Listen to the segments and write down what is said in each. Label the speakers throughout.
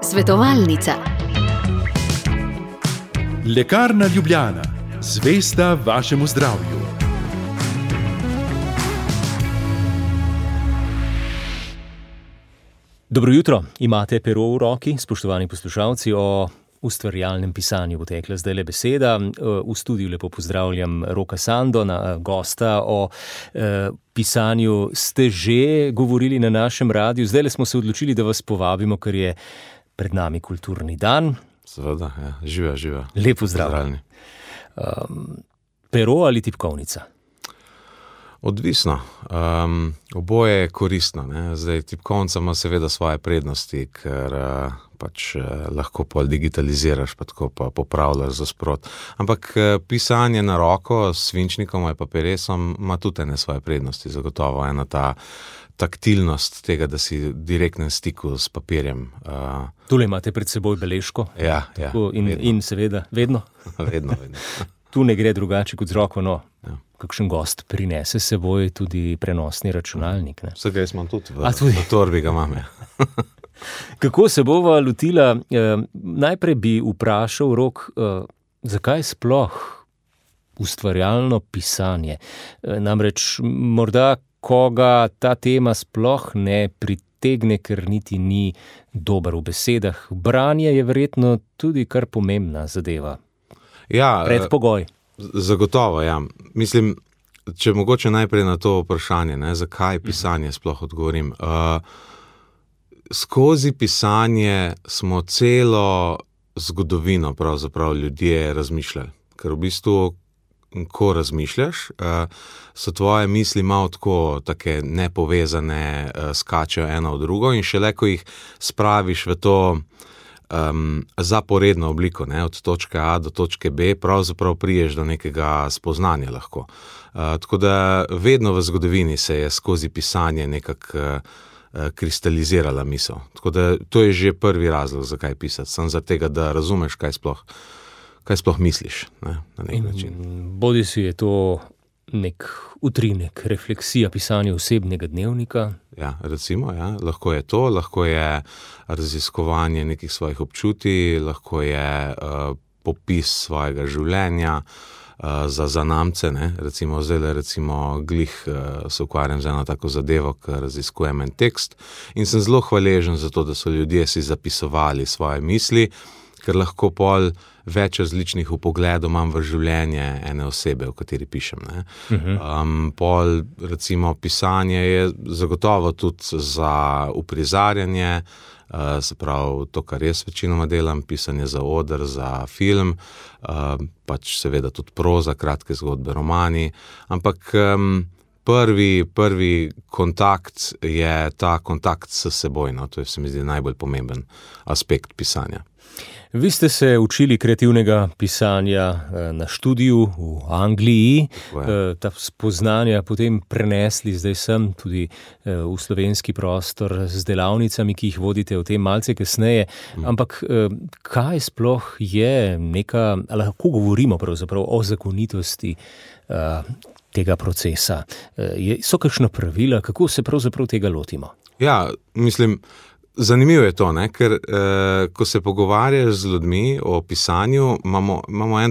Speaker 1: Svetovalnica.
Speaker 2: Lekarna Ljubljana, zvesta vašemu zdravju.
Speaker 3: Dobro jutro, imate pero v roki, spoštovani poslušalci. O ustvarjalnem pisanju bo tekla zdajle beseda. V studiu lepo pozdravljam Roka Sandona, gosta. O pisanju ste že govorili na našem radiu. Zdajle smo se odločili, da vas povabimo, ker je pred nami kulturni dan.
Speaker 4: Seveda, ja. Živa.
Speaker 3: Lep pozdrav. Pero ali tipkovnica?
Speaker 4: Odvisno. Oboje je koristno. Ne? Zdaj, tipkovnica ima seveda svoje prednosti, ker lahko pol digitaliziraš, pa tako pa popravljaš za sprot. Ampak pisanje na roko s svinčnikom ali papiresom ima tudi ene svoje prednosti. Zagotovo ena ta taktilnost tega, da si v direktnem stiku s papirjem.
Speaker 3: Tule imate pred seboj beležko.
Speaker 4: Ja.
Speaker 3: In seveda, vedno.
Speaker 4: Vedno.
Speaker 3: Tu ne gre drugače kot z roko, no.
Speaker 4: Ja.
Speaker 3: Kakšen gost prinese seboj tudi prenosni računalnik. Ne?
Speaker 4: Vse ga jaz imam tudi v torbi, ga imam. Ja.
Speaker 3: Kako se bova lotila? Najprej bi vprašal, Rok, zakaj sploh ustvarjalno pisanje? Namreč morda koga ta tema sploh ne pritegne, ker niti ni dober v besedah. Branje je verjetno tudi kar pomembna zadeva.
Speaker 4: Ja,
Speaker 3: predpogoj.
Speaker 4: Zagotovo, ja. Mislim, če mogoče najprej na to vprašanje, ne, zakaj pisanje sploh odgovorim. Skozi pisanje smo celo zgodovino pravzaprav ljudje razmišljali. Ker v bistvu, ko razmišljaš, so tvoje misli malo tako take nepovezane, skačejo eno v drugo in šele, ko jih spraviš v to zaporedno obliko, ne, od točke A do točke B, pravzaprav priješ do nekega spoznanja lahko. Tako da vedno v zgodovini se je skozi pisanje nekako kristalizirala misel. Tako da to je že prvi razlog, zakaj pisati. Samo za tega, da razumeš, kaj sploh misliš, ne, na nek način.
Speaker 3: Bodi si je to nek utrinek, refleksija pisanja osebnega dnevnika.
Speaker 4: Ja, recimo, ja. Lahko je to, lahko je raziskovanje nekih svojih občutij, lahko je popis svojega življenja za zanamce, ne. Recimo glih se ukvarjam z eno tako zadevo, ker raziskujem en tekst in sem zelo hvaležen za to, da so ljudje si zapisovali svoje misli, ker lahko pol več različnih vpogledov imam v življenje ene osebe, o kateri pišem. Ne. Pol, recimo, pisanje je zagotovo tudi za uprizarjanje, se pravi to, kar jaz večinoma delam, pisanje za oder, za film, pač seveda tudi proza, kratke zgodbe, romani, ampak prvi kontakt je ta kontakt s seboj, no, to je, se mi zdi, najbolj pomemben aspekt pisanja.
Speaker 3: Vi ste se učili kreativnega pisanja na študiju v Angliji, ta spoznanja potem prenesli zdaj sem tudi v slovenski prostor z delavnicami, ki jih vodite o tem malce kasneje. Ampak kaj sploh je lahko govorimo pravzaprav o zakonitosti tega procesa? So kakšna pravila, kako se pravzaprav tega lotimo?
Speaker 4: Ja, mislim, zanimivo je to, ne? Ker ko se pogovarjaš z ljudmi o pisanju, imamo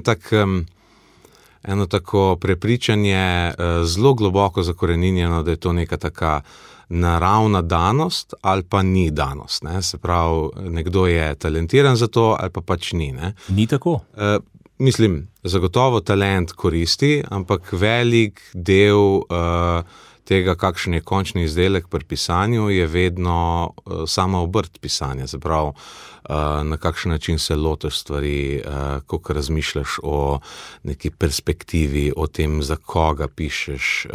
Speaker 4: eno tako prepričanje zelo globoko zakoreninjeno, da je to neka taka naravna danost ali pa ni danost. Ne? Se pravi, nekdo je talentiran za to ali pa pač ni. Ne?
Speaker 3: Ni tako?
Speaker 4: Mislim, zagotovo talent koristi, ampak velik del tega, kakšen je končni izdelek pri pisanju, je vedno sama obrt pisanja. Se pravi, na kakšen način se lotiš stvari, koliko razmišljaš o neki perspektivi, o tem, za koga pišeš,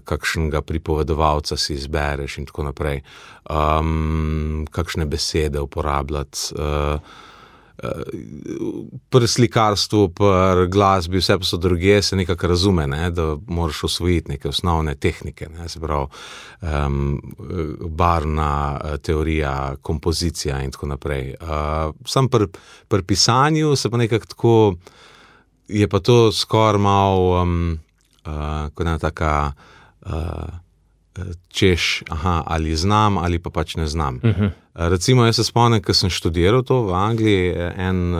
Speaker 4: kakšnega pripovedovalca si izbereš in tako naprej, kakšne besede uporabljati. Pri slikarstvu, pri glasbi, vse pa so druge, se nekako razume, ne, da moraš osvojiti neke osnovne tehnike, ne, se pravi, barvna teorija, kompozicija in tako naprej. Sam pri pisanju se pa nekako tako, je pa to skoraj malo kot ena taka češ, ali znam ali pa pač ne znam. Recimo, jaz se spomnim, ko sem študiral to v Angliji, en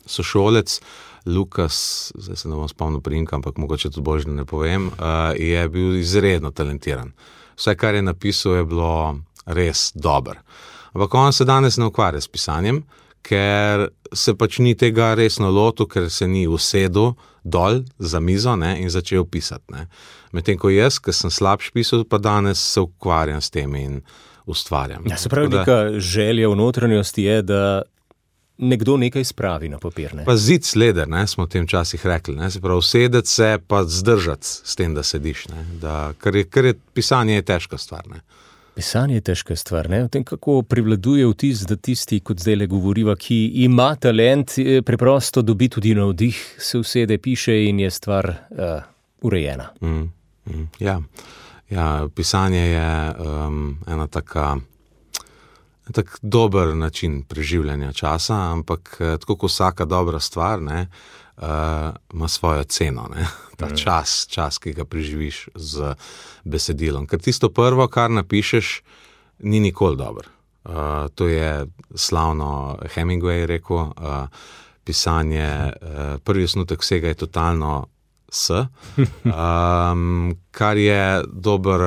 Speaker 4: sošolec, Lukas, zdaj se ne bom spomnil priimka, ampak mogoče tudi božje ne povem, je bil izredno talentiran. Vse, kar je napisal, je bilo res dobro. Ampak on se danes ne ukvarja s pisanjem, ker se pač ni tega resno lotil, ker se ni usedel dol za mizo, ne, in začel pisati. Ne. Medtem ko jaz, ker sem slabš pisal, pa danes se ukvarjam s tem in ustvarjam.
Speaker 3: Ja, se pravi, neka želja v notranjosti je, da nekdo nekaj spravi na papir. Ne?
Speaker 4: Pa zid sleder, ne, smo v tem časih rekli. Ne, se pravi, usedeti se pa zdržati s tem, da sediš. Ne, ker je pisanje je težka stvar. Ne.
Speaker 3: Pisanje je težka stvar. Ne? O tem, kako privladuje vtis, da tisti, kot zdaj le govoriva, ki ima talent, preprosto dobi tudi navdih, se usede, piše in je stvar urejena.
Speaker 4: Ja, pisanje je ena tak dober način preživljanja časa, ampak tako kot vsaka dobra stvar, ne, ima svojo ceno, ne. Ta čas, ki ga preživiš z besedilom. Ker tisto prvo, kar napišeš, ni nikoli dobro. To je slavno Hemingway rekel, pisanje, prvi osnutek vsega je totalno kar je dober.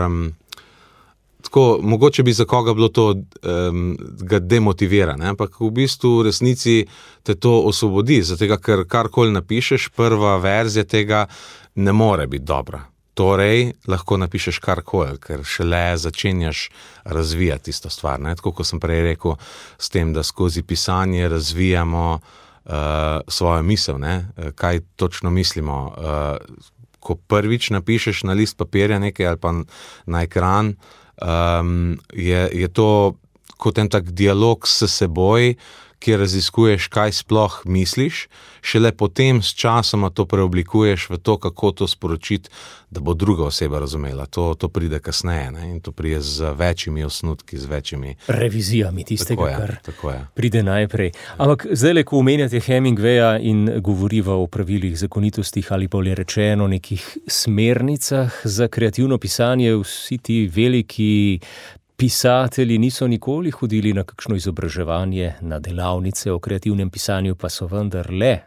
Speaker 4: Tako, mogoče bi za koga bilo to ga demotivira, ne? Ampak v bistvu v resnici te to osvobodi, zato ker karkoli napišeš, prva verzija tega ne more biti dobra. Torej, lahko napišeš karkoli, ker šele začenjaš razvijati tisto stvar. Ne? Tako kot sem prej rekel, s tem, da skozi pisanje razvijamo svojo misel, ne? Kaj točno mislimo. Ko prvič napišeš na list papirja nekaj ali pa na ekran, je to kot en tak dialog s seboj, kjer raziskuješ, kaj sploh misliš, šele potem s časoma to preoblikuješ v to, kako to sporočiti, da bo druga oseba razumela. To pride kasneje, ne? In to pride z večjimi osnutki, z večjimi
Speaker 3: revizijami tistega,
Speaker 4: tako je.
Speaker 3: Pride najprej. Ampak zdaj, ko omenjate Hemingwaya in govoriva o pravilih, zakonitostih ali bolje rečeno nekih smernicah za kreativno pisanje, vsi ti veliki pisatelji niso nikoli hodili na kakšno izobraževanje, na delavnice o kreativnem pisanju, pa so vendarle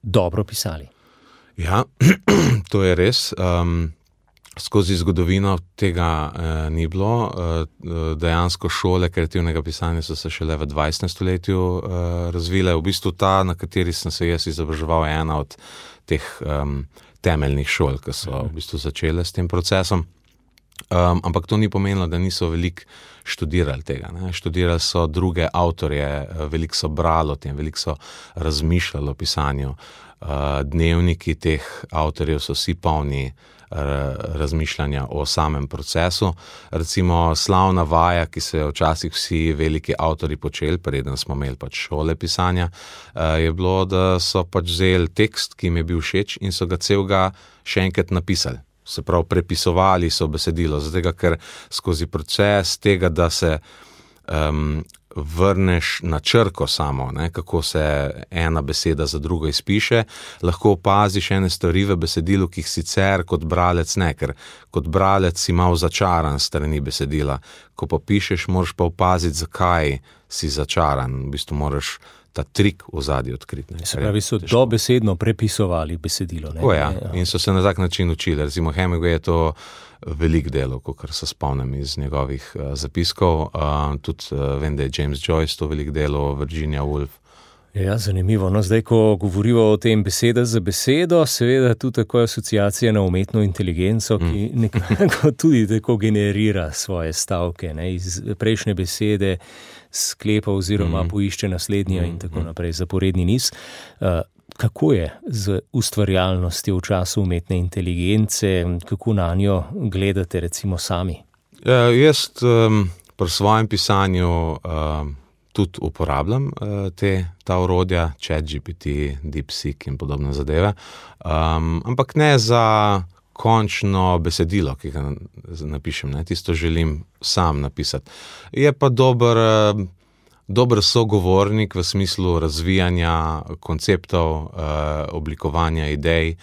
Speaker 3: dobro pisali.
Speaker 4: Ja, to je res. Skozi zgodovino tega ni bilo. Dejansko šole kreativnega pisanja so se šele v 20. stoletju razvile. V bistvu ta, na kateri sem se jaz izobraževal, je ena od teh temeljnih šol, ki so v bistvu začele s tem procesom. Ampak to ni pomenilo, da niso veliko študirali tega. Ne? Študirali so druge avtorje, veliko so brali o tem, veliko so razmišljali o pisanju. Dnevniki teh avtorjev so vsi polni razmišljanja o samem procesu. Recimo slavna vaja, ki so jo včasih vsi veliki avtorji počeli, preden smo imeli pač šole pisanja, je bilo, da so pač vzeli tekst, ki jim je bil všeč in so ga celega še enkrat napisali. Se pravi, prepisovali so besedilo, zato ker skozi proces tega, da se vrneš na črko samo, ne, kako se ena beseda za drugo izpiše, lahko opaziš ene stvari v besedilu, ki jih sicer kot bralec ne, ker kot bralec si malo začaran strani besedila. Ko pa pišeš, moraš pa opaziti, zakaj si začaran. V bistvu moraš ta trik v zadnji odkriti.
Speaker 3: Se pravi, so dobesedno prepisovali besedilo.
Speaker 4: Tako je, in so se na tak način učili. Recimo Hemingway je to velik delo, kakor se spomnim iz njegovih zapiskov. Tudi vem, da je James Joyce to velik delo, Virginia Woolf.
Speaker 3: Ja, zanimivo. No, zdaj, ko govorimo o tem beseda za besedo, seveda tudi tako asociacija na umetno inteligenco, ki nekako tudi tako generira svoje stavke, ne, iz prejšnje besede sklepa oziroma poišče naslednja in tako naprej, zaporedni niz. Kako je z ustvarjalnostjo v času umetne inteligence, kako na njo gledate recimo sami?
Speaker 4: Jaz pri svojem pisanju tudi uporabljam ta orodja, ChatGPT, DeepSeek in podobne zadeve, ampak ne za končno besedilo, ki ga napišem, ne, tisto želim sam napisati. Je pa dober sogovornik v smislu razvijanja konceptov, oblikovanja idej,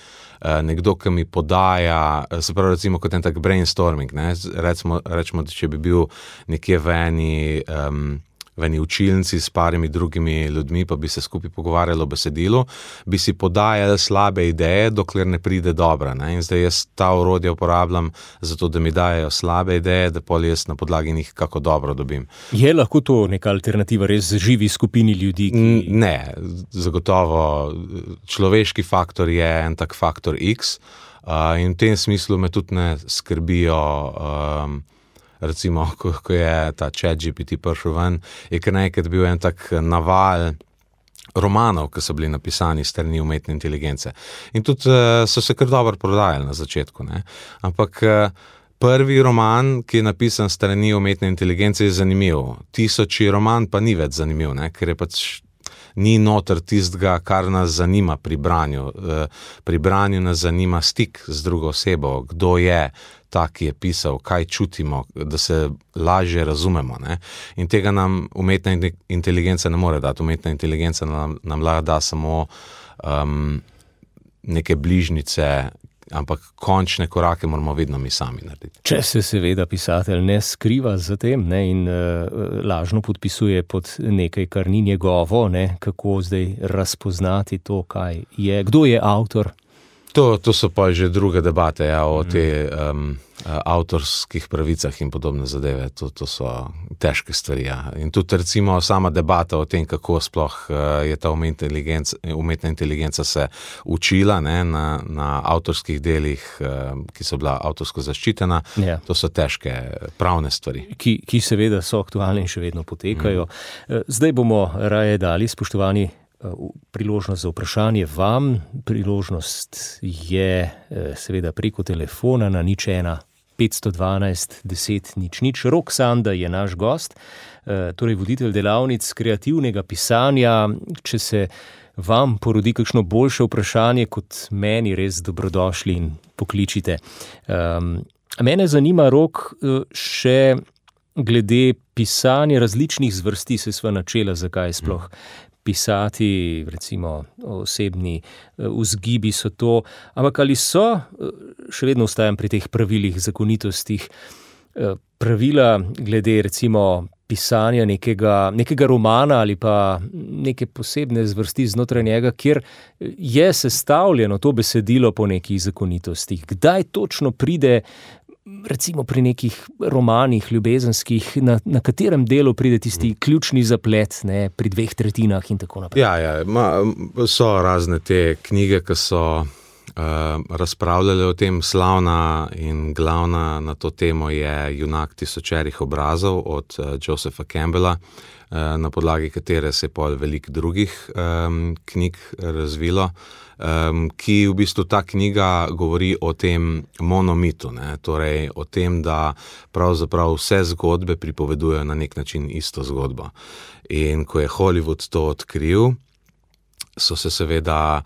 Speaker 4: nekdo, ki mi podaja, se pravi recimo kot en tak brainstorming, ne? Rečemo, da če bi bil nekje v eni učilnici s parimi drugimi ljudmi, pa bi se skupaj pogovarjali o besedilu, bi si podajali slabe ideje, dokler ne pride dobra. Ne? In zdaj jaz ta orodja uporabljam zato, da mi dajo slabe ideje, da pol jaz na podlagi njih kako dobro dobim.
Speaker 3: Je lahko to neka alternativa res živi skupini ljudi?
Speaker 4: Ne, zagotovo človeški faktor je en tak faktor X, in v tem smislu me tudi ne skrbijo recimo, ko je ta ChatGPT prišel ven, je kar nekaj bil en tak naval romanov, ki so bili napisani s strani umetne inteligence. In tudi so se kar dobro prodajali na začetku, ne. Ampak prvi roman, ki je napisan s strani umetne inteligence, je zanimiv. 1000. roman pa ni več zanimiv, ne, ker je pač ni noter tistega, kar nas zanima pri branju. Pri branju nas zanima stik z drugo osebo, kdo je ta, ki je pisal, kaj čutimo, da se lažje razumemo. Ne? In tega nam umetna inteligenca ne more dati. Umetna inteligenca nam lahko da samo neke bližnjice, ampak končne korake moramo vedno mi sami narediti.
Speaker 3: Če se seveda pisatelj ne skriva za tem, ne, in lažno podpisuje pod nekaj, kar ni njegovo, ne, kako zdaj razpoznati to, kaj je, kdo je avtor?
Speaker 4: To so pa že druge debate, ja, o te avtorskih pravicah in podobne zadeve. To so težke stvari. Ja. In tudi recimo sama debata o tem, kako sploh je ta umetna inteligenca se učila, ne, na avtorskih delih, ki so bila avtorsko zaščitena. Ja. To so težke pravne stvari.
Speaker 3: Ki seveda so aktualne in še vedno potekajo. Zdaj bomo raje dali, spoštovani, priložnost za vprašanje vam. Priložnost je seveda preko telefona na 01 512 10 00. Rok Sanda je naš gost, torej voditelj delavnic kreativnega pisanja. Če se vam porodi kakšno boljše vprašanje kot meni, res dobrodošli in pokličite. Mene zanima, Rok, še glede pisanja različnih zvrsti, se sva načela, zakaj sploh pisati, recimo osebni vzgibi so to, ampak ali so, še vedno ostajam pri teh pravilih, zakonitostih, pravila glede recimo pisanja nekega romana ali pa neke posebne zvrsti znotraj njega, kjer je sestavljeno to besedilo po nekih zakonitostih. Kdaj točno pride recimo pri nekih romanih ljubezenskih, na katerem delu pride tisti ključni zaplet, ne, pri 2/3 in tako naprej?
Speaker 4: Ja, so razne te knjige, ki so razpravljali o tem. Slavna in glavna na to temo je Junak tisočerih obrazov od Josepha Campbella, na podlagi katere se je pol veliko drugih knjig razvilo, ki v bistvu ta knjiga govori o tem monomitu, ne? Torej o tem, da pravzaprav vse zgodbe pripovedujejo na nek način isto zgodbo. In ko je Hollywood to odkril, so se seveda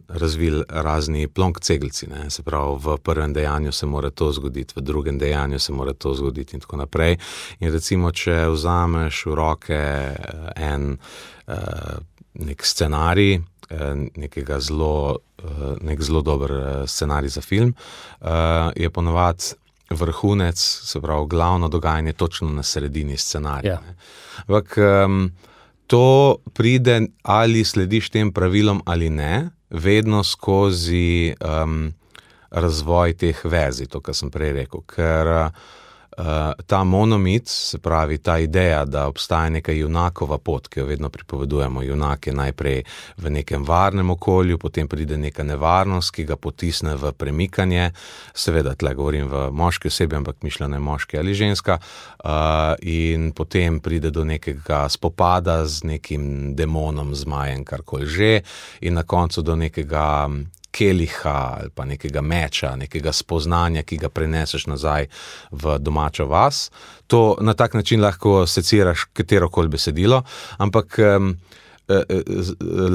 Speaker 4: razvili razni plonk-cegelci, ne? Se pravi, v prvem dejanju se mora to zgoditi, v drugem dejanju se mora to zgoditi in tako naprej. In recimo, če vzameš v roke nek scenarij, nek zelo dober scenarij za film, je ponovadi vrhunec, se pravi, glavno dogajanje točno na sredini scenarija. Ja. Ampak to pride, ali slediš tem pravilom ali ne, vedno skozi razvoj teh verzij, to, kar sem prej rekel. Ker ta monomit, se pravi ta ideja, da obstaja neka junakova pot, ki jo vedno pripovedujemo. Junak je najprej v nekem varnem okolju, potem pride neka nevarnost, ki ga potisne v premikanje. Seveda, tle govorim v moški osebi, ampak mišljeno je moški ali ženska. In potem pride do nekega spopada z nekim demonom, zmajem, karkoli že, in na koncu do nekega keliha ali pa nekega meča, nekega spoznanja, ki ga preneseš nazaj v domačo vas. To na tak način lahko seciraš katerokoli besedilo, ampak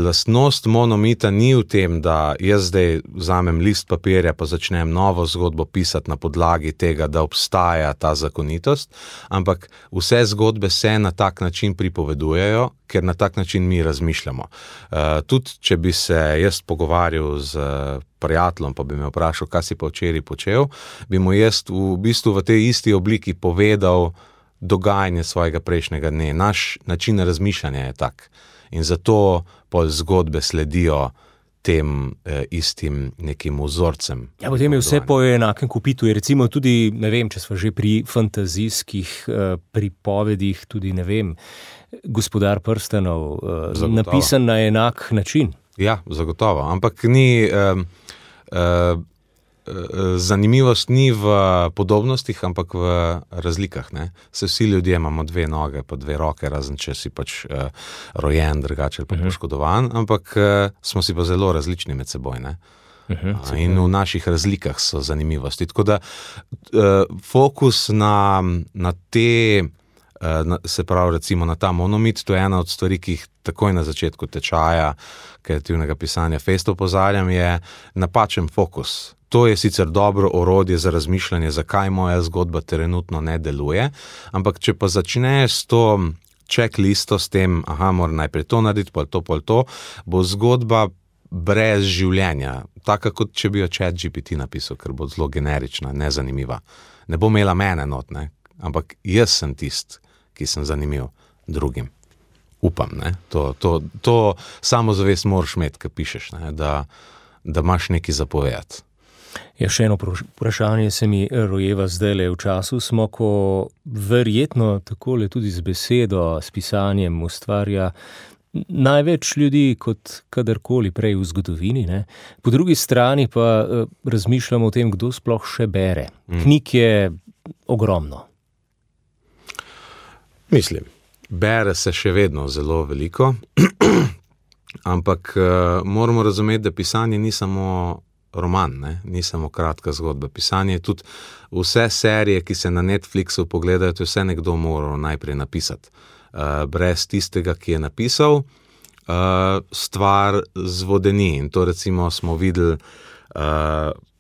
Speaker 4: lastnost monomita ni v tem, da jaz zdaj vzamem list papirja pa začnem novo zgodbo pisati na podlagi tega, da obstaja ta zakonitost, ampak vse zgodbe se na tak način pripovedujejo, ker na tak način mi razmišljamo. Tudi, če bi se jaz pogovarjal z prijateljem, pa bi me vprašal, kaj si pa včeraj počel, bi mu jaz v bistvu v tej isti obliki povedal dogajanje svojega prejšnjega dne. Naš način razmišljanja je tak. In zato pol zgodbe sledijo tem istim nekim vzorcem.
Speaker 3: Ja, potem je vse po enakem kopitu. Je recimo tudi, ne vem, če smo že pri fantazijskih pripovedih, tudi, ne vem, Gospodar prstanov, napisan na enak način.
Speaker 4: Ja, zagotovo. Ampak ni... zanimivost ni v podobnostih, ampak v razlikah. Ne? Se vsi ljudje imamo 2 noge, pa 2 roke, razen če si pač rojen, drugače pa poškodovan, ampak smo si pa zelo različni med seboj. Ne? In v naših razlikah so zanimivosti. Tako da fokus na te, se pravi recimo na ta monomit, to je ena od stvari, ki jih takoj na začetku tečaja kreativnega pisanja fejst opozarjam, je napačen fokus. To je sicer dobro orodje za razmišljanje, zakaj moja zgodba trenutno ne deluje, ampak če pa začneš s to checklisto, s tem, moram najprej to narediti, pol to, bo zgodba brez življenja, taka kot če bi jo ChatGPT napisal, ker bo zelo generična, nezanimiva. Ne bo imela mene not, ne? Ampak jaz sem tist, ki sem zanimiv drugim. Upam, ne? To samozavest moraš imeti, ko pišeš, ne? Da imaš nekaj zapovedati.
Speaker 3: Ja, še eno vprašanje se mi rojeva zdajle. V času smo, ko verjetno takole tudi z besedo, s pisanjem ustvarja največ ljudi kot kadarkoli prej v zgodovini. Ne? Po drugi strani pa razmišljamo o tem, kdo sploh še bere. Knjig je ogromno.
Speaker 4: Mislim, bere se še vedno zelo veliko, ampak moramo razumeti, da pisanje ni samo roman, ne? Ni samo kratka zgodba. Pisanje je tudi vse serije, ki se na Netflixu pogledajo, to je vse nekdo moral najprej napisati. Brez tistega, ki je napisal, stvar zvodeni. In to recimo smo videli,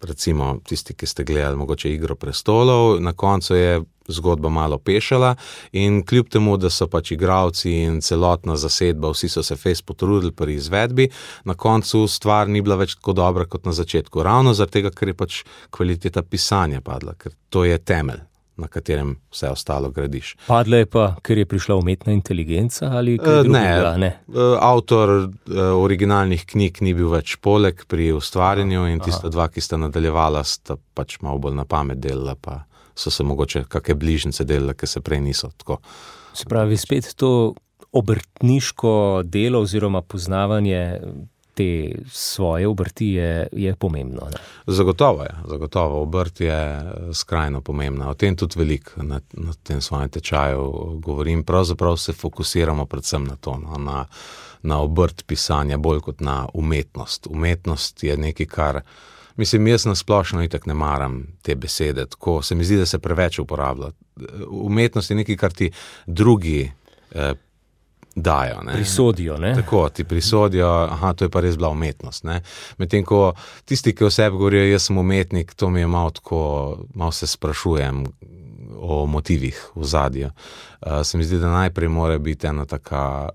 Speaker 4: recimo tisti, ki ste gledali mogoče Igro prestolov, na koncu je zgodba malo pešala in kljub temu, da so pač igralci in celotna zasedba, vsi so se fejst potrudili pri izvedbi, na koncu stvar ni bila več tako dobra kot na začetku. Ravno zaradi tega, ker je pač kvaliteta pisanja padla, ker to je temelj, na katerem vse ostalo gradiš.
Speaker 3: Padla je pa, ker je prišla umetna inteligenca ali kaj drugega? Ne.
Speaker 4: Avtor originalnih knjig ni bil več poleg pri ustvarjanju in tista 2, ki sta nadaljevala, sta pač malo bolj na pamet delala, pa so se mogoče kakšne bližnjice delale, ki se prej niso tako.
Speaker 3: Se pravi, spet to obrtniško delo oziroma poznavanje te svoje obrti je pomembno. Ne?
Speaker 4: Zagotovo je. Obrt je skrajno pomembna. O tem tudi veliko na tem svojem tečaju govorim. Pravzaprav se fokusiramo predvsem na to, na obrt pisanja, bolj kot na umetnost. Umetnost je nekaj, kar mislim, jaz nasplošno itak ne maram te besede, tako se mi zdi, da se preveč uporablja. Umetnost je nekaj, kar ti drugi dajo. Ne?
Speaker 3: Prisodijo, ne?
Speaker 4: Tako, ti prisodijo, to je pa res bila umetnost. Ne? Medtem ko tisti, ki o sebi govorijo, jaz sem umetnik, to mi je malo tako, malo se sprašujem o motivih v zadju. Se mi zdi, da najprej mora biti ena taka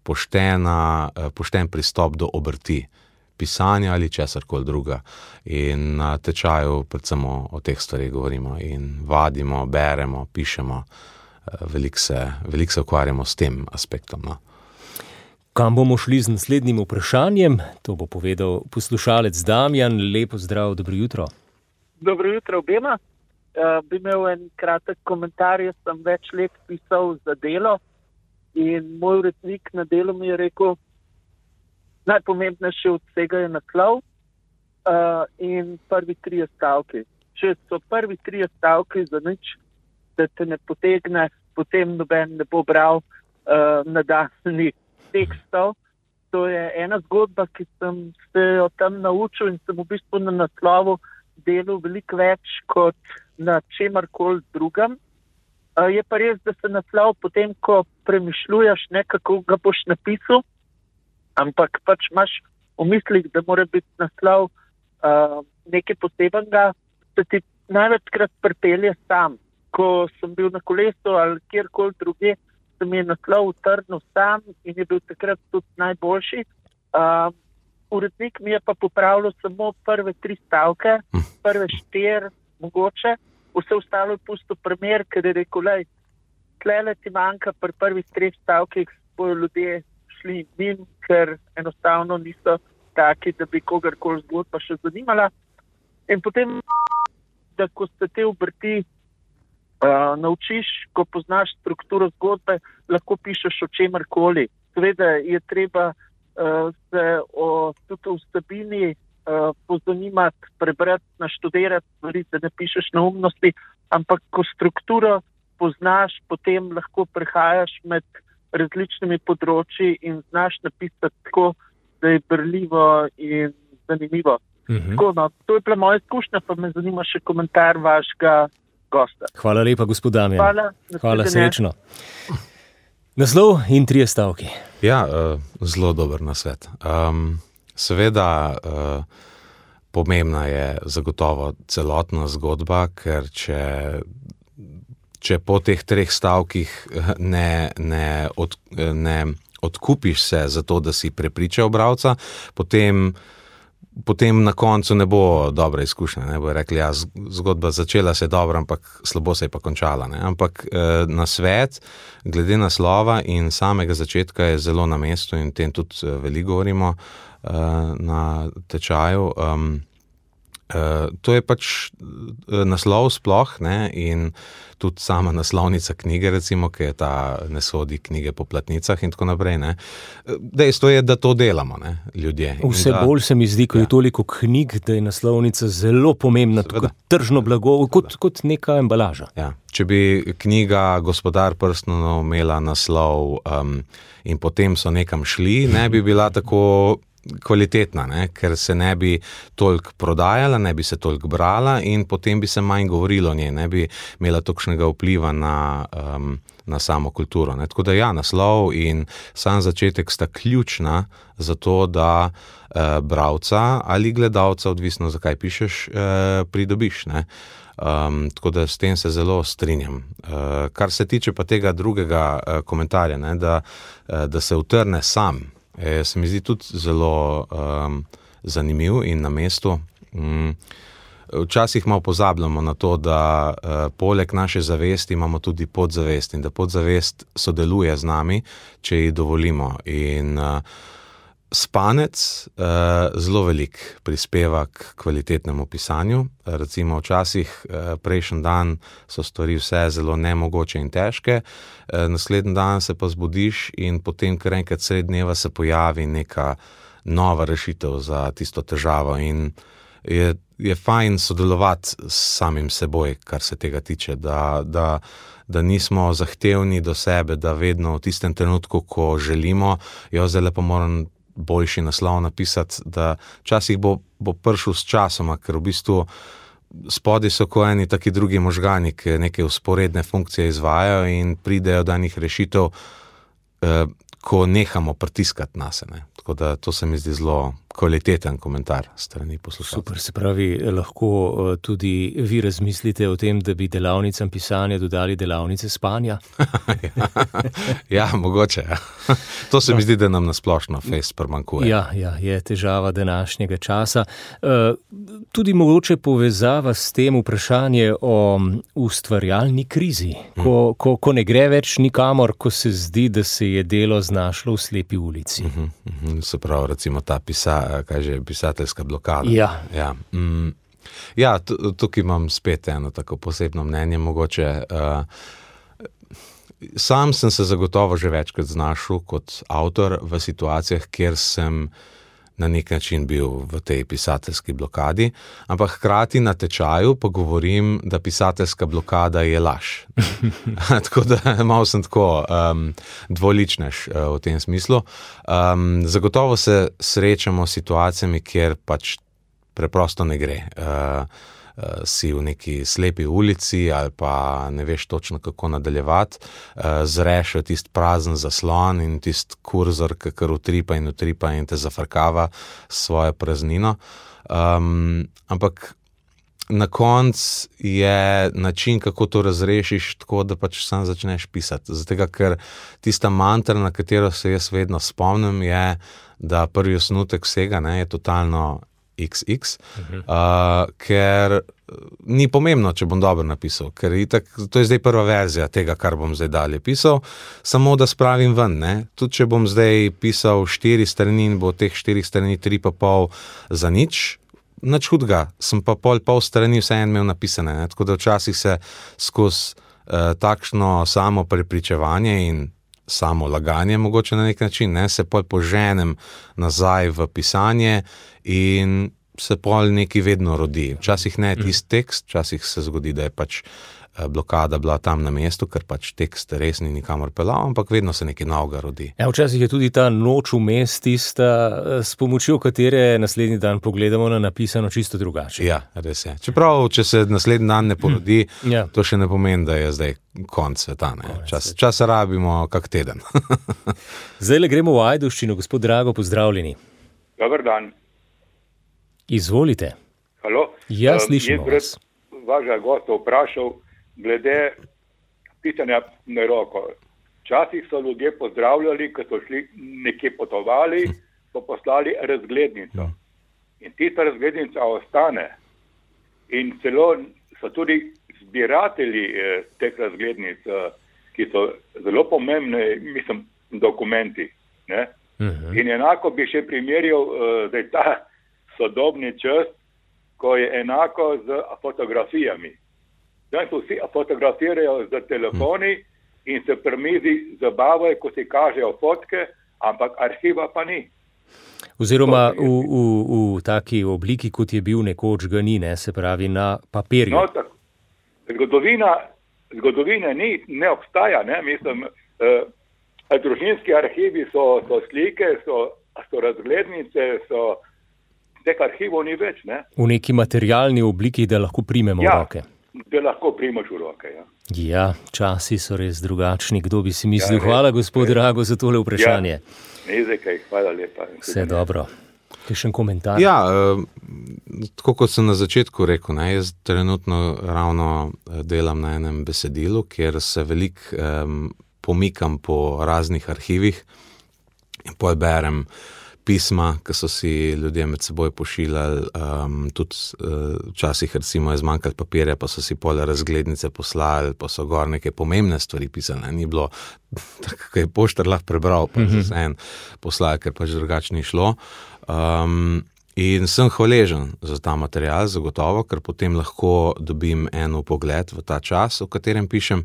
Speaker 4: pošten pristop do obrti. Pisanja ali česarkoli druga. In na tečaju predvsem o teh stvarih govorimo in vadimo, beremo, pišemo, veliko se ukvarjamo s tem aspektom. No.
Speaker 3: Kam bomo šli z naslednjim vprašanjem? To bo povedal poslušalec Damjan. Lepo zdrav, dobro jutro.
Speaker 1: Dobro jutro obema. Bi imel en kratek komentar, jaz sem več let pisal za Delo in moj urednik na Delu mi je rekel, najpomembnejše od vsega je naslov in prvi 3 stavki. Če so prvi 3 stavki za nič, da te ne potegne, potem noben ne bo bral nadaljnjih tekstov. To je ena zgodba, ki sem se jo tam naučil in sem v bistvu na naslovu delal veliko več kot na čemarkoli drugem. Je pa res, da se naslov potem, ko premišljuješ, kako ga boš napisal, ampak pač imaš v mislih, da mora biti naslov nekaj posebenega, se ti največkrat pripelje sam. Ko sem bil na kolesu ali kjerkoli druge, se mi je naslov utrnil sam in je bil takrat tudi najboljši. Urednik mi je pa popravljal samo prve 3 stavke, prve 4 mogoče, vse ostalo je pustil primer, ker je rekel, lej, tlele ti manjka pri prvih 3 stavkih, bojo ljudje šli mim, ker enostavno niso taki, da bi kogarkoli zgodba še zanimala. In potem, da ko se te obrti naučiš, ko poznaš strukturo zgodbe, lahko pišeš o čemarkoli. Seveda je treba se tudi o vsebini pozanimati, prebrati, naštudirati stvari, da ne pišeš neumnosti, ampak ko strukturo poznaš, potem lahko prehajaš med različnimi področji in znaš napisati tako, da je berljivo in zanimivo. Tako, no, to je bila moja izkušnja, pa me zanima še komentar vašega gosta.
Speaker 3: Hvala lepa, gospod Damjan. Hvala, srečno. Naslov in 3 stavki.
Speaker 4: Ja, zelo dober nasvet. Seveda, pomembna je zagotovo celotna zgodba, ker če po teh 3 stavkih ne odkupiš se za to, da si prepričal bralca, potem na koncu ne bo dobra izkušnja. Ne bo rekli, ja, zgodba začela se dobro, ampak slabo se je pa končala. Ne? Ampak nasvet, glede naslova in samega začetka je zelo na mestu in tem tudi veliko govorimo na tečaju. To je pač naslov sploh, ne, in tudi sama naslovnica knjige, recimo, ki je ta ne sodi knjige po platnicah in tako naprej, ne. Dejstvo je, da to delamo, ne, ljudje.
Speaker 3: Vse bolj se mi zdi, ko je toliko knjig, da je naslovnica zelo pomembna, kot tržno blago, kot neka embalaža.
Speaker 4: Ja. Če bi knjiga Gospodar prstanov imela naslov in potem so nekam šli, ne bi bila tako kvalitetna, ne? Ker se ne bi toliko prodajala, ne bi se toliko brala in potem bi se manj govorilo o njej, ne bi imela tolikšnega vpliva na samo kulturo. Ne? Tako da ja, naslov in sam začetek sta ključna za to, da bralca ali gledalca, odvisno zakaj pišeš, pridobiš. Ne? Tako da s tem se zelo strinjam. Kar se tiče pa tega drugega komentarja, ne? Da se utrne sam, se mi zdi tudi zelo zanimiv in na mestu. Včasih malo pozabljamo na to, da poleg naše zavesti imamo tudi podzavest in da podzavest sodeluje z nami, če ji dovolimo. In spanec zelo velik prispeva k kvalitetnemu pisanju. Recimo včasih prejšnji dan so stvari vse zelo nemogoče in težke, naslednji dan se pa zbudiš in potem kar enkrat sredi dneva se pojavi neka nova rešitev za tisto težavo in je fajn sodelovati s samim seboj, kar se tega tiče, da nismo zahtevni do sebe, da vedno v tistem trenutku, ko želimo, zdaj pa moram boljši naslov napisati, da včasih bo prišel s časoma, ker v bistvu spodaj so ko eni taki drugi možgani, ki neke vzporedne funkcije izvajajo in pridejo do enih rešitev, ko nehamo pritiskati nase. Ne. Tako da to se mi zdi zelo kvaliteten komentar strani poslušalcev.
Speaker 3: Super, se pravi, lahko tudi vi razmislite o tem, da bi delavnicam pisanja dodali delavnice spanja?
Speaker 4: Ja, mogoče. Ja. To se mi zdi, da nam nasplošno fejst primanjkuje.
Speaker 3: Ja, je težava današnjega časa. Tudi mogoče povezava s tem vprašanje o ustvarjalni krizi, ko ne gre več nikamor, ko se zdi, da se je delo znašlo v slepi ulici.
Speaker 4: Se pravi, recimo ta pisateljska blokada.
Speaker 3: Ja.
Speaker 4: Ja, tukaj imam spet eno tako posebno mnenje, mogoče. Sam sem se zagotovo že večkrat znašel kot avtor v situacijah, kjer sem na nek način bil v tej pisateljski blokadi, ampak hkrati na tečaju pa govorim, da pisateljska blokada je laž. Tako da malo sem tako dvoličnež v tem smislu. Zagotovo se srečamo s situacijami, kjer pač preprosto ne gre. si v neki slepi ulici ali pa ne veš točno, kako nadaljevati, zreš tisti prazen zaslon in tisti kurzor, ki kar utripa in te zafrkava s svojo praznino. Ampak na koncu je način, kako to razrešiš, tako da pač sam začneš pisati. Zato, ker tista mantra, na katero se jaz vedno spomnim, je, da prvi osnutek vsega je totalno XX, ker ni pomembno, če bom dobro napisal, ker itak, to je zdaj prva verzija tega, kar bom zdaj dalje pisal, samo da spravim ven. Tudi če bom zdaj pisal 4 strani in bo teh 4 strani 3,5 za nič hudega, sem pa pol strani vseeno imel napisane. Tako da včasih se skozi takšno samo prepričevanje in samo laganje mogoče na nek način, se pol poženem nazaj v pisanje in se pol nekaj vedno rodi. Včasih ne tisti tekst, včasih se zgodi, da je pač blokada bila tam na mestu, ker pač tekst res ni nikamor pelal, ampak vedno se nekaj novega rodi.
Speaker 3: Včasih je tudi ta noč vmes tista, s pomočjo katere naslednji dan pogledamo na napisano čisto drugače.
Speaker 4: Ja, res je. Čeprav, če se naslednji dan ne porodi, to še ne pomeni, da je zdaj konc sveta. Čas rabimo kak teden.
Speaker 3: Zdaj gremo v Ajdovščino. Gospod Drago, pozdravljeni.
Speaker 5: Dobar dan.
Speaker 3: Izvolite.
Speaker 5: Halo?
Speaker 3: Ja, slišimo vas.
Speaker 5: Vašega gosta vprašal glede pisanja na roko. Včasih so ljudje pozdravljali, ko so šli nekje potovali, so poslali razglednico. In tista razglednica ostane. In celo so tudi zbiratelji teh razglednic, ki so zelo pomembne, mislim, dokumenti. In enako bi še primerjal zdaj ta sodobni čas, ko je enako z fotografijami. Zdaj so vsi fotografirajo z telefoni in se pri mizi zabavajo, ko si kažejo fotke, ampak arhiva pa ni.
Speaker 3: Oziroma v taki obliki, kot je bil nekoč, ga ni, se pravi na papirju.
Speaker 5: No, tako. Zgodovina ne obstaja, mislim, družinski arhivi so slike, so razglednice, teh arhivov ni več,
Speaker 3: V neki materialni obliki, da lahko primemo v roke.
Speaker 5: Da lahko primaš v roke,
Speaker 3: Ja, časi so res drugačni, kdo bi si mislil. Hvala, gospod Drago, za tole vprašanje.
Speaker 5: Ne zakaj, hvala lepa.
Speaker 3: Vse dobro. Kakšen komentar?
Speaker 4: Ja, tako kot sem na začetku rekel, jaz trenutno ravno delam na enem besedilu, kjer se veliko pomikam po raznih arhivih in pol berem pisma, ki so si ljudje med seboj pošiljali, tudi včasih recimo je zmanjkalo papirja, pa so si pol razglednice poslali, pa so gor neke pomembne stvari pisali, ni bilo tako, kaj je poštar lahko prebral, pa se en poslali, ker pač drugače ni šlo. In sem hvaležen za ta material, zagotovo, ker potem lahko dobim en pogled v ta čas, v katerem pišem.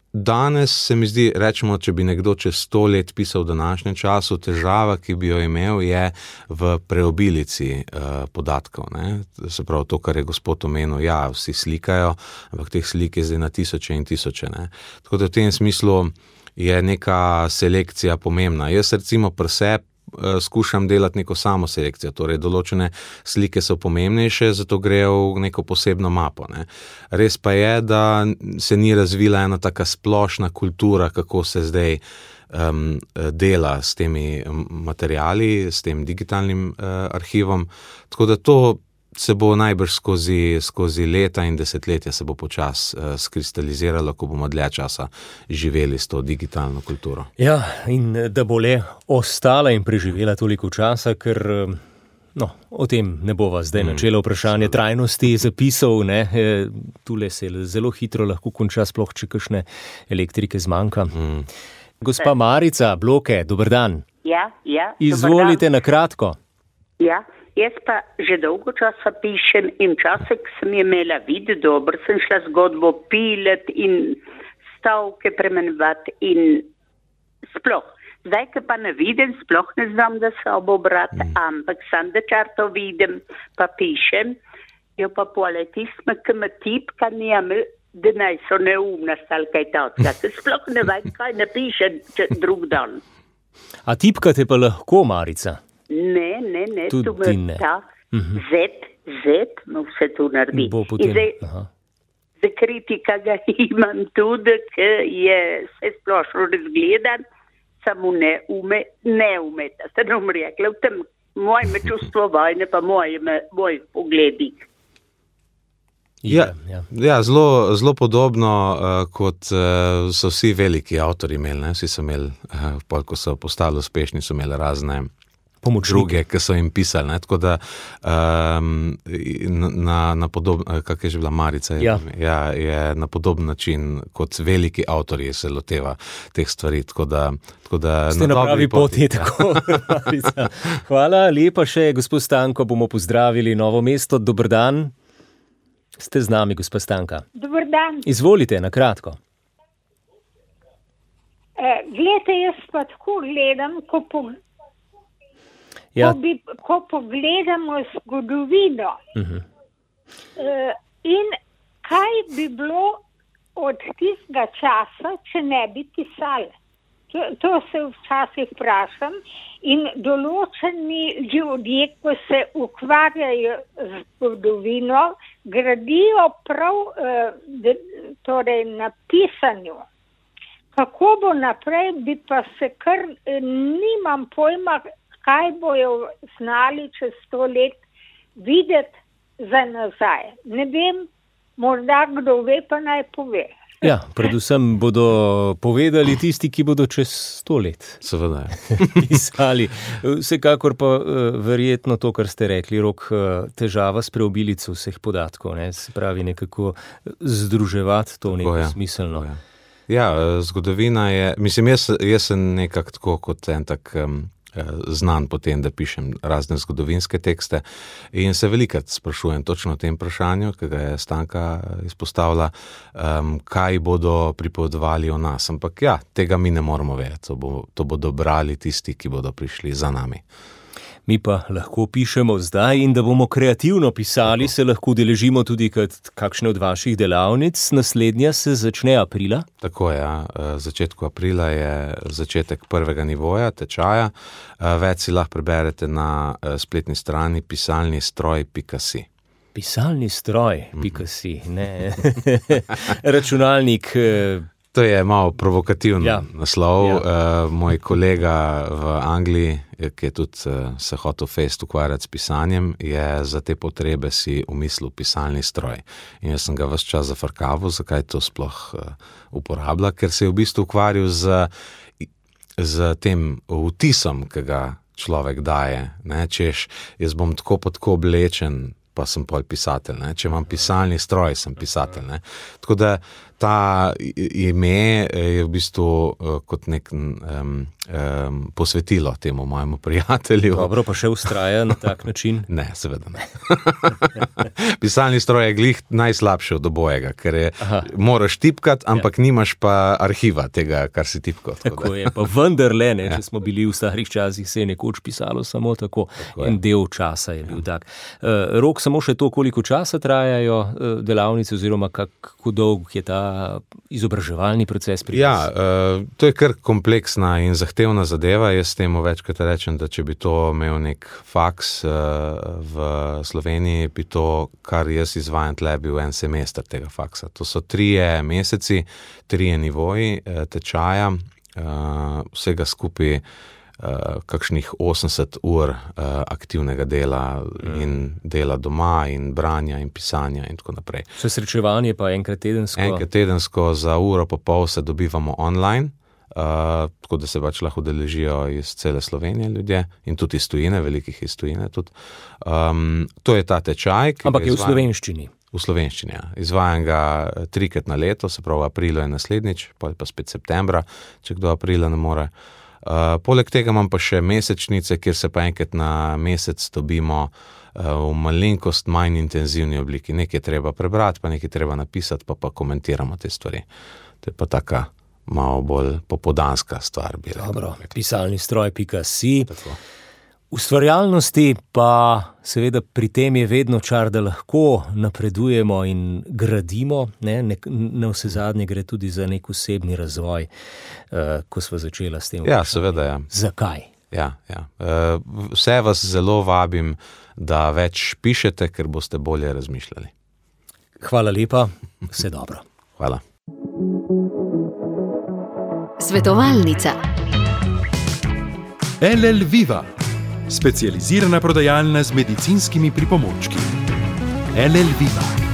Speaker 4: Danes se mi zdi, rečemo, če bi nekdo čez 100 let pisal v današnjem času, težava, ki bi jo imel, je v preobilici podatkov. Se pravi, to, kar je gospod omenil, vsi slikajo, ampak teh slik je zdaj na tisoče in tisoče. Tako da v tem smislu je neka selekcija pomembna. Jaz recimo pri sebi skušam delati neko samo selekcijo, torej določene slike so pomembnejše, zato grejo v neko posebno mapo. Res pa je, da se ni razvila ena taka splošna kultura, kako se zdaj dela s temi materiali, s tem digitalnim arhivom, tako da to se bo najbrž skozi leta in desetletja se bo počas skristaliziralo, ko bomo dlje časa živeli s to digitalno kulturo.
Speaker 3: Ja, in da bo le ostala in preživela toliko časa, ker o tem ne bova zdaj načela vprašanje trajnosti zapisov, tule se zelo hitro lahko konča, sploh če kakšne elektrike zmanjka. Gospa Marica, Bloke, dober dan.
Speaker 6: Ja,
Speaker 3: izvolite na kratko.
Speaker 6: Ja, jaz pa že dolgo časa pišem in včasih sem imela vid, dobro sem šla zgodbo pilet in stavke premenovati in sploh. Zdaj, ki pa ne vidim, sploh ne znam, da se obrati, ampak sam da čarto vidim, pa pišem, jo pa poleg tisme, ki me tipka nijame, da naj so neumna stal kaj tatka. Sploh ne vem, kaj napišem drug dan.
Speaker 3: A tipkate pa lahko, Marica?
Speaker 6: Ne,
Speaker 3: tudi
Speaker 6: tu me ta Z no vse to naredi.
Speaker 3: Bo potem,
Speaker 6: za kritika ga imam tudi, ki je vse splošno razgledan, samo ne umeta. Se ne bom rekla, v tem moje čustvo vojne pa moj pogledi.
Speaker 4: Ja, zelo podobno, kot so vsi veliki avtori imeli. Vsi so imeli, ko so postali uspešni, so imeli razne druge, ki so jim pisali. Tako da na podoben, kak je že bila Marica, je na podoben način, kot veliki avtorji se loteva teh stvari. Tako da
Speaker 3: ste na pravi poti, tako, Marica. Hvala lepa še, gospod Stanko, bomo pozdravili Novo mesto. Dober dan. Ste z nami, gospa Stanka.
Speaker 7: Dober dan.
Speaker 3: Izvolite, na kratko.
Speaker 7: Glejte, jaz pa tako gledam, ko pogledamo zgodovino. In kaj bi bilo od tistega časa, če ne bi pisali? To se včasih vprašam. In določeni ljudje, ko se ukvarjajo z zgodovino, gradijo prav torej na pisanju. Kako bo naprej, bi pa se kar nimam pojma, kaj bojo znali čez 100 let videti za nazaj. Ne vem, morda kdo ve, pa naj pove.
Speaker 3: Ja, predvsem bodo povedali tisti, ki bodo čez 100 let.
Speaker 4: Seveda.
Speaker 3: Pisali. Vsekakor pa verjetno to, kar ste rekli, Rok, težava s preobilico vseh podatkov, ne? Se pravi nekako združevati to neko smiselno.
Speaker 4: Ja, zgodovina je, mislim, jaz sem nekako tako kot en tak znan po tem, da pišem razne zgodovinske tekste in se velikrat sprašujem točno o tem vprašanju, ki ga je Stanka izpostavila, kaj bodo pripovedovali o nas. Ampak ja, tega mi ne moramo vedeti. To bodo brali tisti, ki bodo prišli za nami.
Speaker 3: Mi pa lahko pišemo zdaj in da bomo kreativno pisali, se lahko udeležimo tudi kakšne od vaših delavnic. Naslednja se začne aprila.
Speaker 4: Tako je, začetku aprila je začetek prvega nivoja, tečaja. Več si lahko preberete na spletni strani pisalnistroj.si.
Speaker 3: Pisalni stroj.si, ne. Računalnik.
Speaker 4: To je malo provokativen naslov. Moj kolega v Angliji, ki je tudi se hotel ukvarjati s pisanjem, je za te potrebe si umislil pisalni stroj. In jaz sem ga ves čas zafrkaval, zakaj to sploh uporablja, ker se je v bistvu ukvarjal z tem vtisom, ki ga človek daje. Ne? Češ, jaz bom tako pa tako oblečen, pa sem pol pisatelj. Ne? Če imam pisalni stroj, sem pisatelj. Ne? Tako da ta ime je v bistvu kot nek posvetilo temu mojemu prijatelju.
Speaker 3: Dobro, pa še vztraja na tak način?
Speaker 4: Ne, seveda ne. Pisalni stroj je glih najslabši od obojega, ker moraš tipkati, ampak nimaš pa arhiva tega, kar si tipkal.
Speaker 3: Tako je, pa vendarle, če smo bili v starih časih, se je nekoč pisalo samo tako. En del časa je bil tak. Rok, samo še to, koliko časa trajajo delavnice oziroma kako dolg je ta izobraževalni proces pri vas?
Speaker 4: Ja, to je kar kompleksna in zahtevna zadeva. Jaz temu večkrat rečem, da če bi to imel nek faks v Sloveniji, bi to, kar jaz izvajam tle, bil en semester tega faksa. To so 3 meseci, 3 nivoji tečaja, vsega skupaj kakšnih 80 ur aktivnega dela in dela doma in branja in pisanja in tako naprej.
Speaker 3: Vse srečevanje pa enkrat tedensko?
Speaker 4: Enkrat tedensko, za uro pa pol se dobivamo online, tako da se pač lahko udeležijo iz cele Slovenije ljudje in tudi iz tujine, velikih iz tujine tudi. To je ta tečaj.
Speaker 3: Ampak je v slovenščini?
Speaker 4: V slovenščini, ja. Izvajam ga 3-krat na leto, se pravi aprilu je naslednjič, pa spet septembra, če kdo aprila ne more. Poleg tega imam pa še mesečnice, kjer se pa enkrat na mesec dobimo v malenkost manj intenzivni obliki. Nekaj treba prebrati, pa nekaj treba napisati, pa komentiramo te stvari. To je pa taka malo bolj popoldanska stvar.
Speaker 3: Dobro, pisalnistroj.si. Ustvarjalnosti pa seveda pri tem je vedno čar, da lahko napredujemo in gradimo, ne? Na vse zadnje gre tudi za nek osebni razvoj, ko sva začela s tem.
Speaker 4: Ja, seveda, ja.
Speaker 3: Zakaj?
Speaker 4: Ja. Vse vas zelo vabim, da več pišete, ker boste bolje razmišljali.
Speaker 3: Hvala lepa, vse dobro.
Speaker 4: Hvala.
Speaker 8: Svetovalnica.
Speaker 2: LL Viva, specializirana prodajalna z medicinskimi pripomočki. LL Viva.